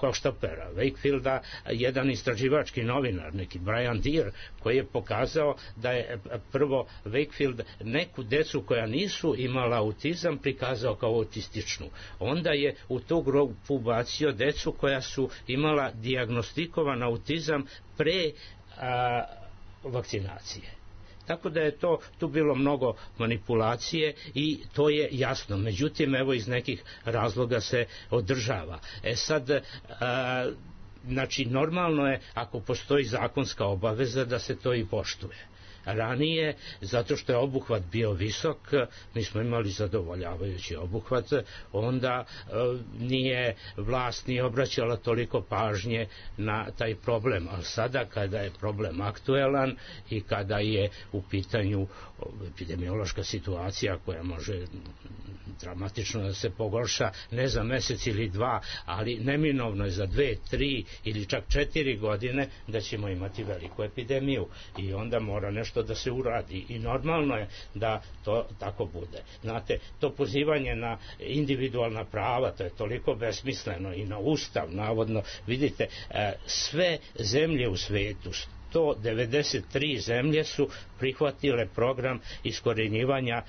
Speaker 5: hoštapera Wakefielda jedan istraživački novinar, neki Brian Deer, koji je pokazao da je prvo Wakefield neku decu koja nisu imala autizam prikazao kao autističnu. Onda je u tu grupu bacio decu koja su imala dijagnostikovan autizam pre vakcinacije. Tako da je tu bilo mnogo manipulacije i to je jasno. Međutim, evo iz nekih razloga se održava. Sad, znači, normalno je ako postoji zakonska obaveza da se to i poštuje. Ranije, zato što je obuhvat bio visok, mi smo imali zadovoljavajući obuhvat, onda nije vlast nije obraćala toliko pažnje na taj problem, ali sada kada je problem aktuelan i kada je u pitanju epidemiološka situacija koja može dramatično da se pogorša ne za mesec ili dva, ali neminovno je za 2, 3 ili čak 4 godine da ćemo imati veliku epidemiju i onda mora nešto da se uradi i normalno je da to tako bude. Znate, to pozivanje na individualna prava, to je toliko besmisleno i na ustav, navodno, vidite, sve zemlje u svetu, 193 zemlje su prihvatile program iskorenjivanja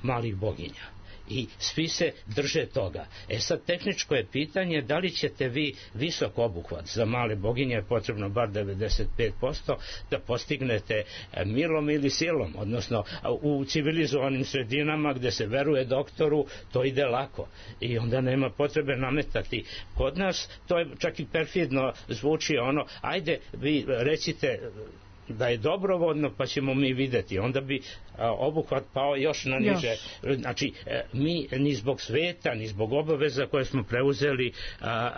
Speaker 5: malih boginja. I svi se drže toga. Sad tehničko je pitanje da li ćete vi visok obuhvat, za male boginje je potrebno bar 95%, da postignete milom ili silom, odnosno u civilizovanim sredinama gde se veruje doktoru, to ide lako i onda nema potrebe nametati. Kod nas to je čak i perfidno zvuči ono, ajde vi recite da je dobrovoljno pa ćemo mi videti, onda bi obuhvat pao još na niže. Znači, mi ni zbog sveta, ni zbog obaveza koje smo preuzeli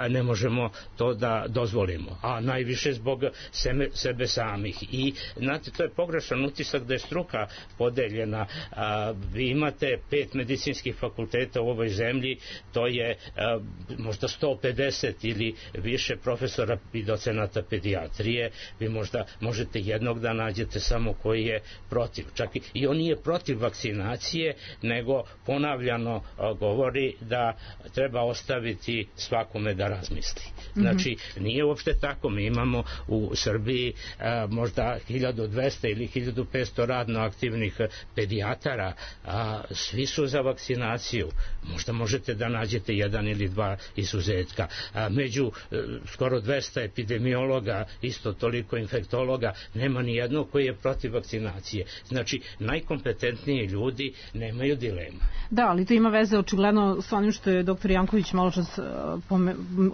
Speaker 5: ne možemo to da dozvolimo, a najviše zbog sebe samih. I znate, to je pogrešan utisak da je struka podeljena. Vi imate 5 medicinskih fakulteta u ovoj zemlji, to je možda 150 ili više profesora i docenata pedijatrije, vi možda možete jednog da nađete samo koji je protiv. Čak i on nije protiv vakcinacije, nego ponavljano govori da treba ostaviti svakome da razmisli. Znači, nije uopšte tako. Mi imamo u Srbiji možda 1200 ili 1500 radno aktivnih pedijatara, a svi su za vakcinaciju. Možda možete da nađete jedan ili dva izuzetka. Među skoro 200 epidemiologa, isto toliko infektologa, nema ni jednog koji je protiv vakcinacije. Znači, najkompetentniji ljudi nemaju dilema.
Speaker 3: Da, ali to ima veze očigledno s onim što je doktor Janković malo čas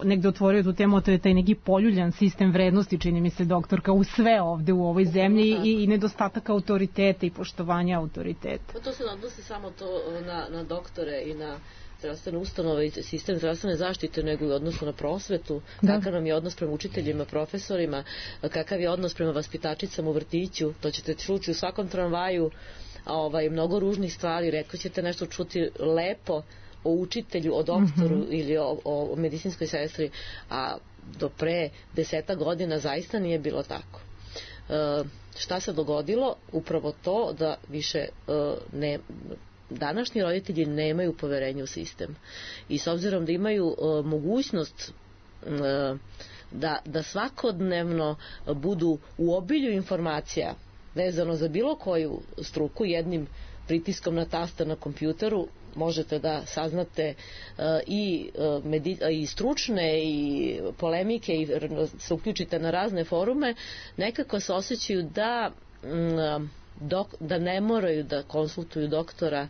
Speaker 3: negde otvorio tu temu, to je taj neki poljuljan sistem vrednosti, čini mi se, doktorka, u sve ovde u ovoj zemlji i nedostatak autoriteta i poštovanja autoriteta.
Speaker 6: Pa to se odnosi samo to na doktore i na zdravstvene ustanove i sistem zdravstvene zaštite, nego i odnosu na prosvetu, kakav nam je odnos prema učiteljima, profesorima, kakav je odnos prema vaspitačicama u vrtiću, to ćete čuti u svakom tramvaju, mnogo ružnih stvari, rekao ćete nešto čuti lepo o učitelju, o doktoru ili o medicinskoj sestri, a do pre 10 godina zaista nije bilo tako. Šta se dogodilo? Upravo to da više današnji roditelji nemaju poverenje u sistem i s obzirom da imaju mogućnost da svakodnevno budu u obilju informacija vezano za bilo koju struku, jednim pritiskom na taster na kompjuteru možete da saznate i stručne i polemike i se uključite na razne forume, nekako se osjećaju da ne moraju da konsultuju doktora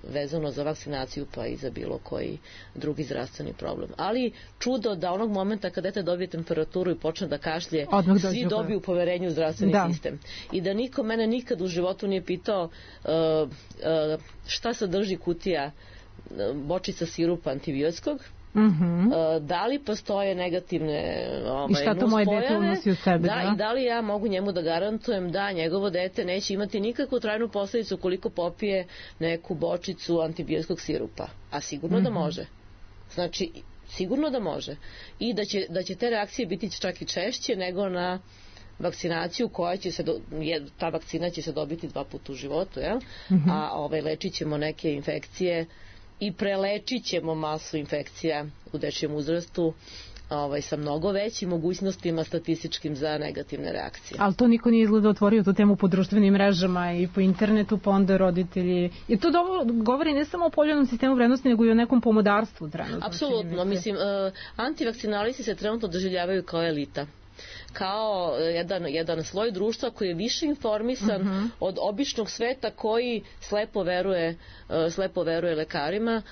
Speaker 6: vezano za vakcinaciju pa i za bilo koji drugi zdravstveni problem. Ali čudo da onog momenta kad dete dobije temperaturu i počne da kašlje, svi dobiju poverenje u zdravstveni sistem. I da niko mene nikad u životu nije pitao šta sadrži kutija bočica sirupa antibiotskog, da li postoje negativne
Speaker 3: i šta to moje dete unosi u sebe,
Speaker 6: i da li ja mogu njemu da garantujem da njegovo dete neće imati nikakvu trajnu posledicu koliko popije neku bočicu antibiotskog sirupa, a sigurno da može. Znači, sigurno da može i da će te reakcije biti čak i češće nego na vakcinaciju koja će se ta vakcina će se dobiti 2 puta u životu, jel? A lečit ćemo neke infekcije i prelečit ćemo masu infekcija u dečijem uzrastu sa mnogo većim mogućnostima statističkim za negativne reakcije.
Speaker 3: Ali to niko nije izgleda otvorio tu temu po društvenim mrežama i po internetu, pa onda roditelji. I to govori ne samo o poljonom sistemu vrednosti, nego i o nekom pomodarstvu trenutno.
Speaker 6: Apsolutno. Mislim, antivakcinalisti se trenutno doživljavaju kao elita. Kao jedan sloj društva koji je više informisan od običnog sveta koji slepo veruje lekarima.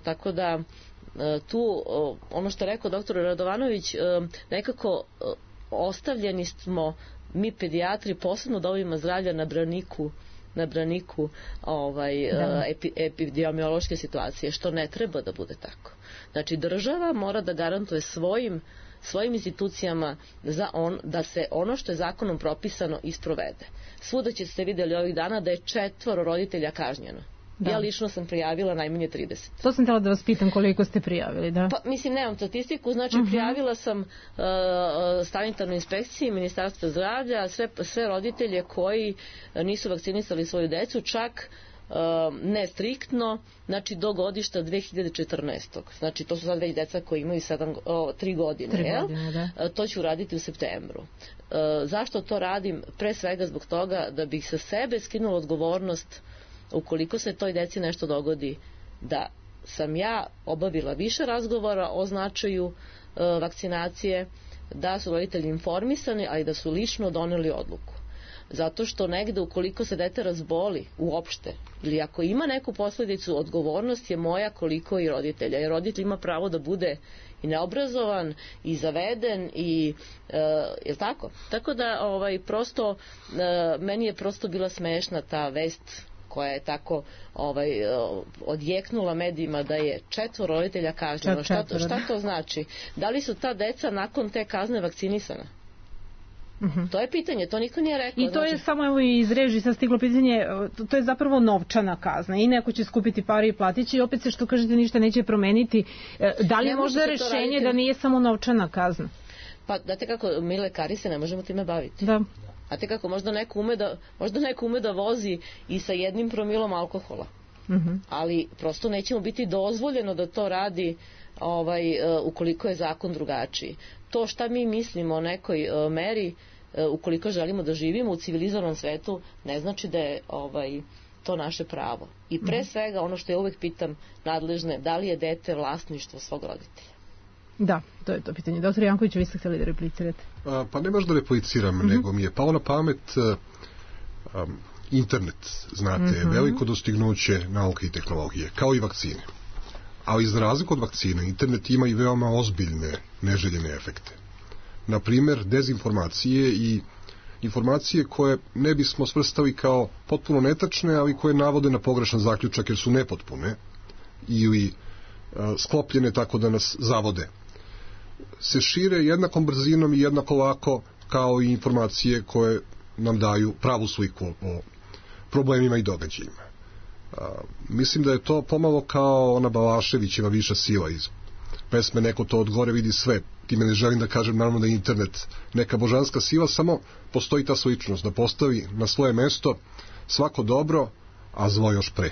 Speaker 6: Tako da tu, ono što je rekao doktor Radovanović, nekako ostavljeni smo mi pedijatri, posebno domovima zdravlja, na braniku epidemiološke situacije, što ne treba da bude tako. Znači, država mora da garantuje svojim institucijama da se ono što je zakonom propisano isprovede. Svuda ste vidjeli ovih dana da je 4 roditelja kažnjeno. Da. Ja lično sam prijavila najmanje 30.
Speaker 3: To sam htjela da vas pitam koliko ste prijavili, da?
Speaker 6: Pa, mislim, nemam statistiku, znači prijavila sam sanitarnoj inspekciji Ministarstva zdravlja sve roditelje koji nisu vakcinisali svoju decu, čak ne striktno, znači do godišta 2014. Znači to su sad već deca koji imaju 3 godine, da. To ću raditi u septembru. Zašto to radim? Pre svega zbog toga da bih sa sebe skinula odgovornost ukoliko se toj deci nešto dogodi, da sam ja obavila više razgovora o značaju vakcinacije, da su roditelji informisani, ali da su lično doneli odluku. Zato što negde ukoliko se dete razboli uopšte, ili ako ima neku posledicu, odgovornost je moja koliko i roditelja. Jer roditelj ima pravo da bude i neobrazovan i zaveden i je li tako? Tako da prosto meni je prosto bila smešna ta vest koja je tako odjeknula medijima da je 4 roditelja kažnjeno. Šta to znači? Da li su ta deca nakon te kazne vakcinisana? To je pitanje, to niko nije rekao.
Speaker 3: I to je samo, evo iz režije sad stiglo pitanje, to je zapravo novčana kazna i neko će skupiti pare i platići i opet se što kažete ništa neće promeniti. Da li je možda rešenje da nije samo novčana kazna?
Speaker 6: Pa date kako, mi lekari se ne možemo time baviti.
Speaker 3: Da.
Speaker 6: A te kako, možda neko ume da vozi i sa 1 promilom alkohola. Ali prosto nećemo biti dozvoljeno da to radi ukoliko je zakon drugačiji. To šta mi mislimo o nekoj meri, ukoliko želimo da živimo u civilizovanom svetu, ne znači da je to naše pravo. I pre svega, ono što ja uvek pitam nadležne, da li je dete vlasništvo svog roditelja?
Speaker 3: Da, to je to pitanje. Doktor Janković, vi ste htjeli da replicirate?
Speaker 4: Pa ne baš da repliciram, nego mi je pao na pamet internet, znate, veliko dostignuće nauke i tehnologije, kao i vakcine. Ali za razliku od vakcina, internet ima i veoma ozbiljne neželjene efekte. Naprimer, dezinformacije i informacije koje ne bismo svrstali kao potpuno netačne, ali koje navode na pogrešan zaključak jer su nepotpune ili sklopljene tako da nas zavode, se šire jednakom brzinom i jednako lako kao i informacije koje nam daju pravu sliku o problemima i događajima. Mislim da je to pomalo kao ona Balaševićeva viša sila iz pesme Neko to od gore vidi sve. Time ne želim da kažem naravno da je internet neka božanska sila, samo postoji ta sličnost da postavi na svoje mesto svako dobro, a zlo još pre.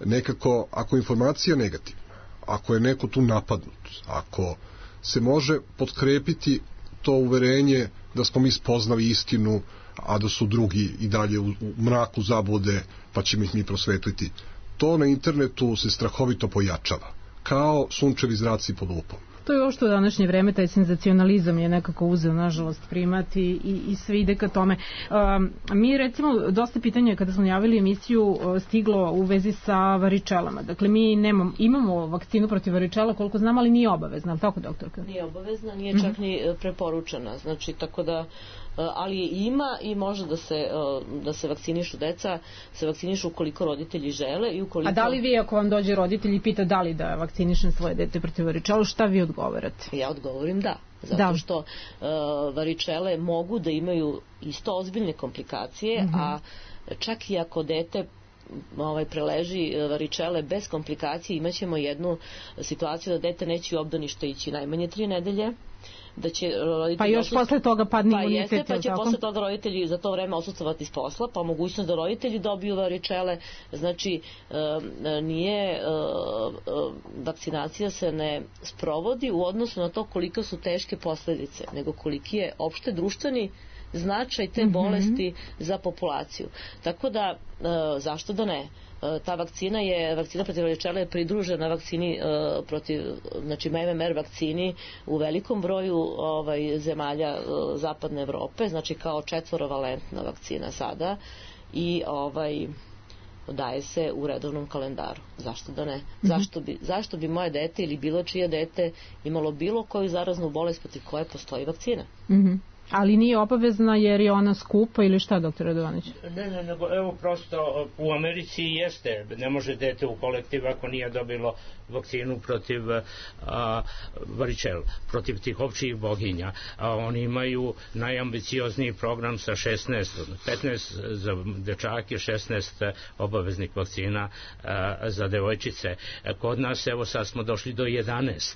Speaker 4: Nekako, ako je informacija negativna, ako je neko tu napadnut, ako se može potkrepiti to uverenje da smo mi spoznali istinu, a da su drugi i dalje u mraku zablude, pa ćemo ih mi prosvetliti. To na internetu se strahovito pojačava, kao sunčevi zraci pod lupom.
Speaker 3: To je ovo što u današnje vreme, taj senzacionalizam je nekako uzeo, nažalost, primati i sve ide ka tome. Mi, recimo, dosta pitanja kada smo javili emisiju stiglo u vezi sa varičelama. Dakle, mi imamo vakcinu protiv varičela, koliko znam, ali nije obavezna, ali tako, doktorka?
Speaker 6: Nije obavezna, nije čak ni preporučena, znači, tako da ali ima i može da se vakcinišu deca, se vakcinišu ukoliko roditelji žele i ukoliko...
Speaker 3: A da li vi, ako vam dođe roditelj i pita da li da vakcinišem svoje dete protiv varičela, šta vi odgovarate?
Speaker 6: Ja odgovorim da, zato što varičele mogu da imaju isto ozbiljne komplikacije, a čak i ako dete preleži varičele bez komplikacije, imaćemo jednu situaciju da dete neće u obdanište ići najmanje 3 nedelje, da će roditelji...
Speaker 3: Pa još posle toga padne imunitet.
Speaker 6: Pa jeste, pa će posle toga roditelji za to vreme odsustvovati iz posla, pa mogućnost da roditelji dobiju varičele. Znači, nije... vakcinacija se ne sprovodi u odnosu na to koliko su teške posledice, nego koliki je opšte društveni značaj te bolesti za populaciju. Tako da, zašto da ne? Ta vakcina protiv varičele je pridružena vakcini protiv, znači MMR vakcini u velikom broju zemalja zapadne Evrope, znači kao 4-valentna vakcina sada i daje se u redovnom kalendaru. Zašto da ne? Zašto bi moje dete ili bilo čije dete imalo bilo koju zaraznu bolest protiv koje postoji vakcina?
Speaker 3: Ali nije obavezna jer je ona skupa ili šta, dr. Radovanović?
Speaker 5: Ne, nego evo prosto u Americi jeste, ne može dete u kolektiv ako nije dobilo vakcinu protiv varičela, protiv tih općih boginja. Oni imaju najambiciozniji program sa 15 za dečake, 16 obaveznih vakcina za devojčice. Kod nas evo sad smo došli do 11.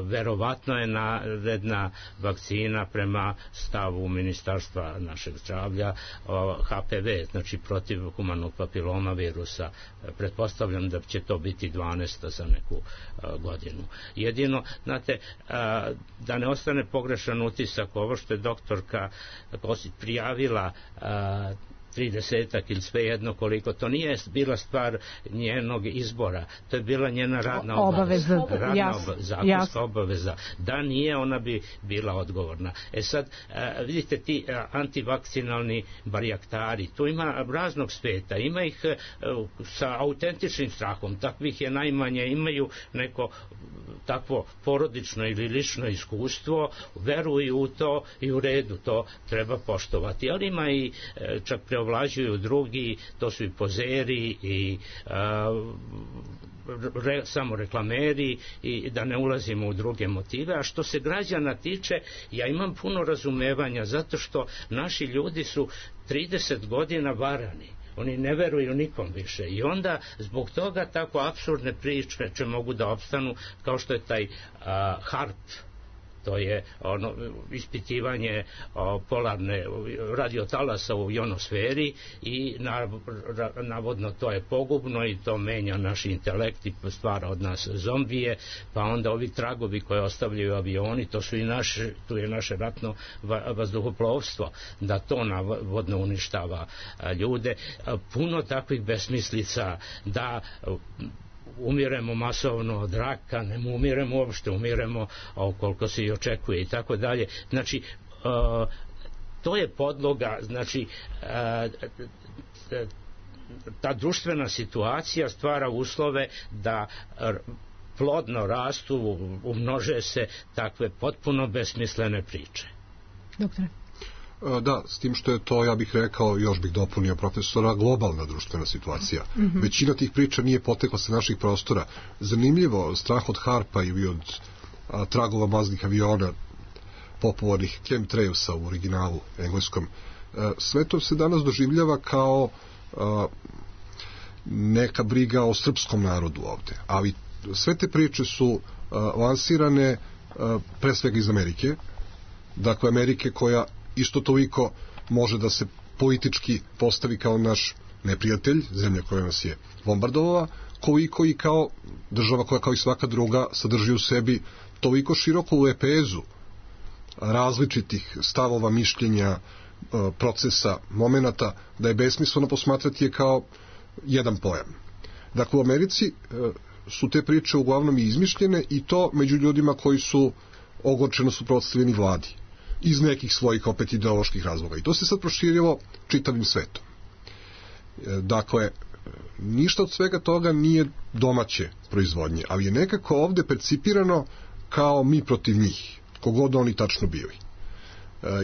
Speaker 5: Verovatno je naredna vakcina prema stavu ministarstva našeg zdravlja HPV, znači protiv humanog papiloma virusa. Pretpostavljam da će to biti 12. za neku godinu. Jedino, znate, da ne ostane pogrešan utisak, ovo što je doktorka prijavila 30 ili svejedno koliko, to nije bila stvar njenog izbora, to je bila njena radna obaveza, zakonska obaveza. Da nije, ona bi bila odgovorna. Sad, vidite, ti antivakcinalni barjaktari, tu ima raznog sveta, ima ih sa autentičnim strahom, takvih je najmanje, imaju neko takvo porodično ili lično iskustvo, veruju u to i u redu, to treba poštovati, ali ima i čak preovlađuju drugi, to su i pozeri i samo reklameri, i da ne ulazimo u druge motive. A što se građana tiče, ja imam puno razumevanja, zato što naši ljudi su 30 godina varani. Oni ne veruju nikom više i onda zbog toga tako apsurdne priče mogu da opstanu, kao što je taj HARP, to je ispitivanje polarne radiotalasa u ionosferi i navodno to je pogubno i to menja naš intelekt i stvara od nas zombije, pa onda ovi tragovi koje ostavljaju avioni, to su i tu je naše ratno vazduhoplovstvo, da to navodno uništava ljude. Puno takvih besmislica, da umiremo masovno od raka, ne umiremo uopšte, umiremo koliko se i očekuje i tako dalje. Znači, to je podloga, znači, ta društvena situacija stvara uslove da plodno rastu, umnože se takve potpuno besmislene priče.
Speaker 3: Doktore?
Speaker 4: Da, s tim što je to, ja bih rekao, još bih dopunio profesora, globalna društvena situacija. Većina tih priča nije potekla sa naših prostora. Zanimljivo, strah od harpa ili od tragova maznih aviona, popularnih chemtrailsa u originalu engleskom, sve to se danas doživljava kao neka briga o srpskom narodu ovde. Ali sve te priče su lansirane pre svega iz Amerike. Dakle, Amerike koja isto toliko može da se politički postavi kao naš neprijatelj, zemlja koja nas je bombardovala, koliko i kao država koja kao i svaka druga sadrži u sebi toliko široku lepezu različitih stavova, mišljenja, procesa, momenata, da je besmisleno posmatrati je kao jedan pojam. Dakle, u Americi su te priče uglavnom i izmišljene, i to među ljudima koji su ogorčeno suprotstavljeni vladi iz nekih svojih opet ideoloških razloga. I to se sad proširilo čitavim svetom. Dakle, ništa od svega toga nije domaće proizvodnje, ali je nekako ovde percipirano kao mi protiv njih, kogod oni tačno bili.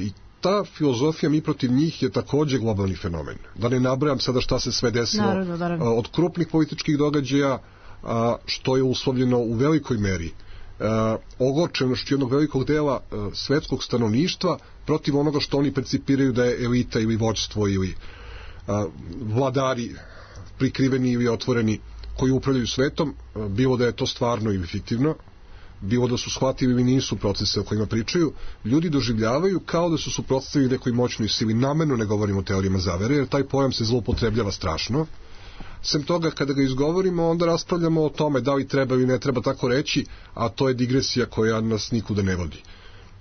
Speaker 4: I ta filozofija mi protiv njih je takođe globalni fenomen. Da ne nabrajam sada šta se sve desilo, naravno. Od krupnih političkih događaja, što je uslovljeno u velikoj meri ogorčenošću jednog velikog dela svetskog stanovništva protiv onoga što oni percipiraju da je elita ili vođstvo ili vladari prikriveni ili otvoreni koji upravljaju svetom, bilo da je to stvarno ili fiktivno. bilo da su shvatili ili nisu procese o kojima pričaju, ljudi doživljavaju kao da su suprotstavili nekoj moćnoj sili. Namerno ne govorimo o teorijama zavere, jer taj pojam se zloupotrebljava strašno. Sem toga, kada ga izgovorimo, onda raspravljamo o tome da li treba ili ne treba tako reći, a to je digresija koja nas nikuda ne vodi.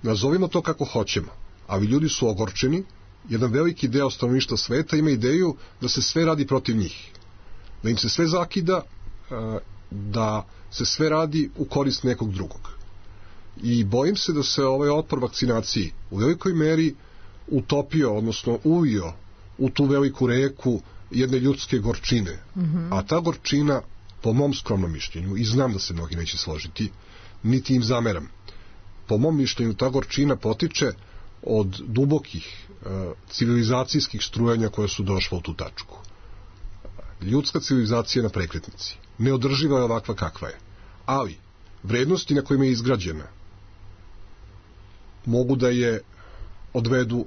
Speaker 4: Nazovimo to kako hoćemo, ali ljudi su ogorčeni. Jedan veliki deo stanovništva sveta ima ideju da se sve radi protiv njih, da im se sve zakida, da se sve radi u korist nekog drugog. I bojim se da se ovaj otpor vakcinaciji u velikoj meri utopio, odnosno uvio u tu veliku reku jedne ljudske gorčine. A ta gorčina, po mom skromnom mišljenju, i znam da se mnogi neće složiti, niti im zameram, po mom mišljenju ta gorčina potiče od dubokih civilizacijskih strujanja koje su došle u tu tačku. Ljudska civilizacija je na prekretnici. Neodrživa je ovakva kakva je. Ali, vrednosti na kojima je izgrađena mogu da je odvedu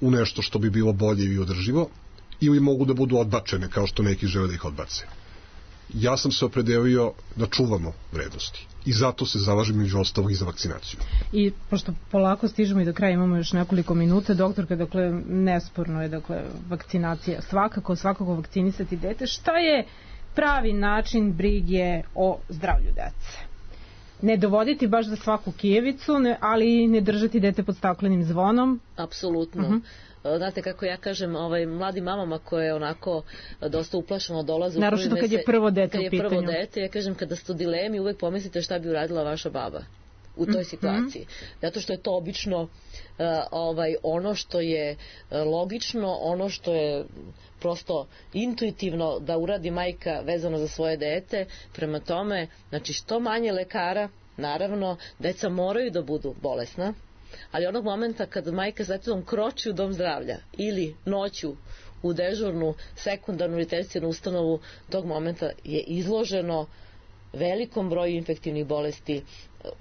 Speaker 4: u nešto što bi bilo bolje i održivo, ili mogu da budu odbačene, kao što neki žele da ih odbace. Ja sam se opredelio da čuvamo vrednosti. I zato se zalažem među ostalog i za vakcinaciju.
Speaker 3: I pošto polako stižemo i do kraja, imamo još nekoliko minuta, doktorka, dakle, nesporno je, dakle, vakcinacija. Svakako vakcinisati dete. Šta je pravi način brige o zdravlju dece? Ne dovoditi baš za svaku kijevicu, ali ne držati dete pod staklenim zvonom?
Speaker 6: Apsolutno. Znate kako ja kažem, mladim mamama koje onako dosta uplašeno dolaze,
Speaker 3: naročito kad je prvo dete u pitanju.
Speaker 6: Ja kažem, kada ste u dilemi, uvek pomislite šta bi uradila vaša baba u toj situaciji. Zato što je to obično ono što je logično, ono što je prosto intuitivno da uradi majka vezano za svoje dete. Prema tome, znači što manje lekara, naravno, deca moraju da budu bolesna, ali onog momenta kad majka s detetom kroči u dom zdravlja ili noću u dežurnu sekundarnu ili tercijarnu ustanovu, tog momenta je izloženo velikom broju infektivnih bolesti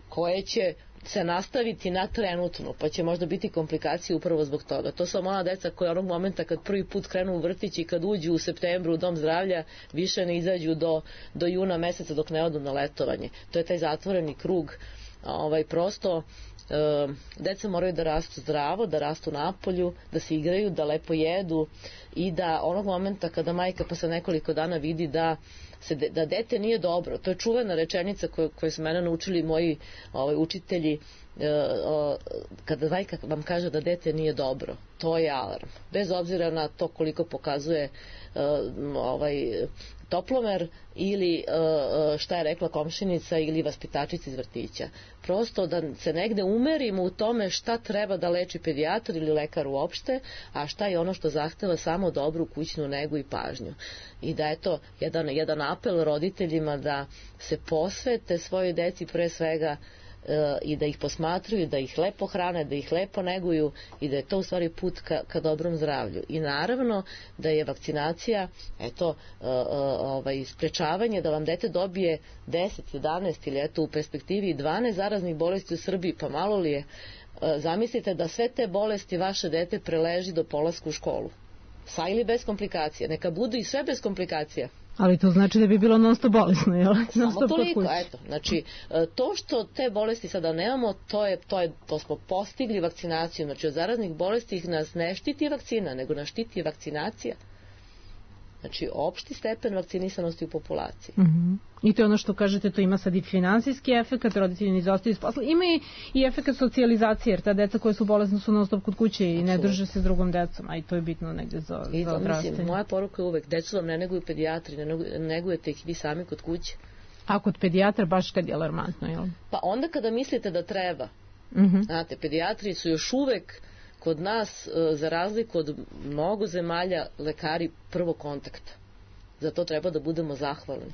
Speaker 6: koje će se nastaviti na trenutno, pa će možda biti komplikacije upravo zbog toga. To su mala deca koja onog momenta kad prvi put krenu u vrtić i kad uđu u septembru u dom zdravlja, više ne izađu do juna meseca dok ne odu na letovanje. To je taj zatvoreni krug. Prosto deca moraju da rastu zdravo, da rastu napolju, da se igraju, da lepo jedu i da onog momenta kada majka posle nekoliko dana vidi da dete nije dobro, to je čuvena rečenica koju su mene naučili moji učitelji, kada majka vam kaže da dete nije dobro, to je alarm, bez obzira na to koliko pokazuje toplomer ili šta je rekla komšinica ili vaspitačica iz vrtića. Prosto da se negde umerimo u tome šta treba da leči pedijatar ili lekar uopšte, a šta je ono što zahteva samo dobru kućnu negu i pažnju. I da je to jedan apel roditeljima da se posvete svojoj deci pre svega i da ih posmatruju, da ih lepo hrane, da ih lepo neguju i da je to u stvari put ka dobrom zdravlju. I naravno da je vakcinacija sprečavanje da vam dete dobije 10, 11 ili u perspektivi 12 zaraznih bolesti u Srbiji, pa malo li je, zamislite da sve te bolesti vaše dete preleži do polaska u školu. Sa ili bez komplikacija. Neka budu i sve bez komplikacija.
Speaker 3: Ali to znači da bi bilo non-stop bolesno, jel?
Speaker 6: Samo toliko, eto. Znači, to što te bolesti sada nemamo, to smo postigli vakcinaciju. Znači, od zaraznih bolesti nas ne štiti vakcina, nego nas štiti vakcinacija. Znači, opšti stepen vakcinisanosti u populaciji.
Speaker 3: I to je ono što kažete, to ima sad i finansijski efekt, roditelji ne izostaju s posla. Ima i efekt socijalizacije, jer ta deca koja su bolesna su non stop kod kuće i ne drže se s drugom decom, a i to je bitno negde za odrastanje.
Speaker 6: Moja poruka je uvek, decu vam ne neguju pedijatri, ne negujete ih vi sami kod kuće.
Speaker 3: A kod pedijatra baš kad je alarmantno, jel?
Speaker 6: Pa onda kada mislite da treba. Znate, pedijatri su još uvek kod nas, za razliku od mnogo zemalja, lekari prvog kontakta. Za to treba da budemo zahvalni.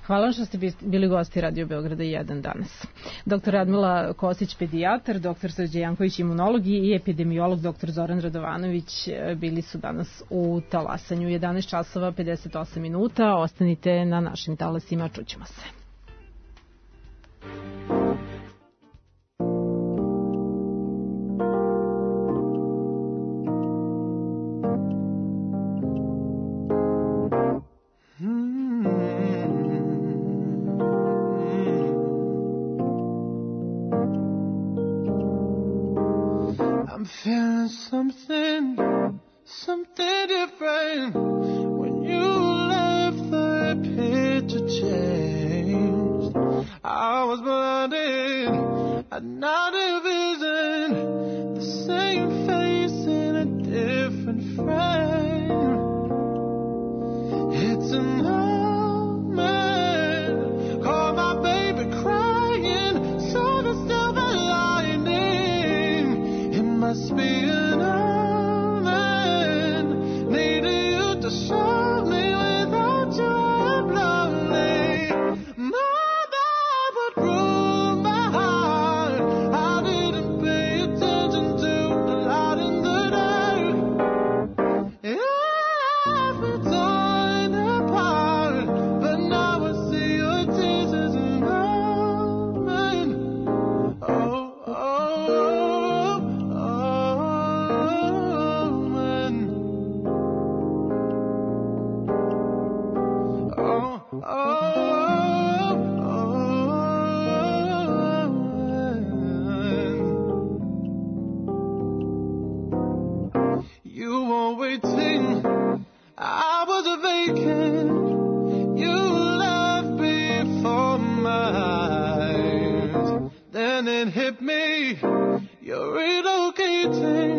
Speaker 3: Hvala vam što ste bili gosti Radio Beograda 1 danas. Dr. Radmila Kostić, pedijatar, dr. Srđe Janković, imunolog i epidemiolog dr. Zoran Radovanović bili su danas u talasanju. 11 časova 58 minuta. Ostanite na našim talasima, čućemo se.
Speaker 8: something different. When you left, the picture changed. I was blinded, I'd not envisioned the same face in a different frame. It's an omen, call my baby crying, saw the silver lining. It must be an omen, needed you to show me without you I'm lonely. Mother would rule my heart, I didn't pay attention to the light in the dark. I've been torn apart, but now I see your tears as an omen. Oh, oh, oh, omen. Oh, oh, omen. You were waiting, I was vacant. You left before my eyes. Then it hit me, you're relocating.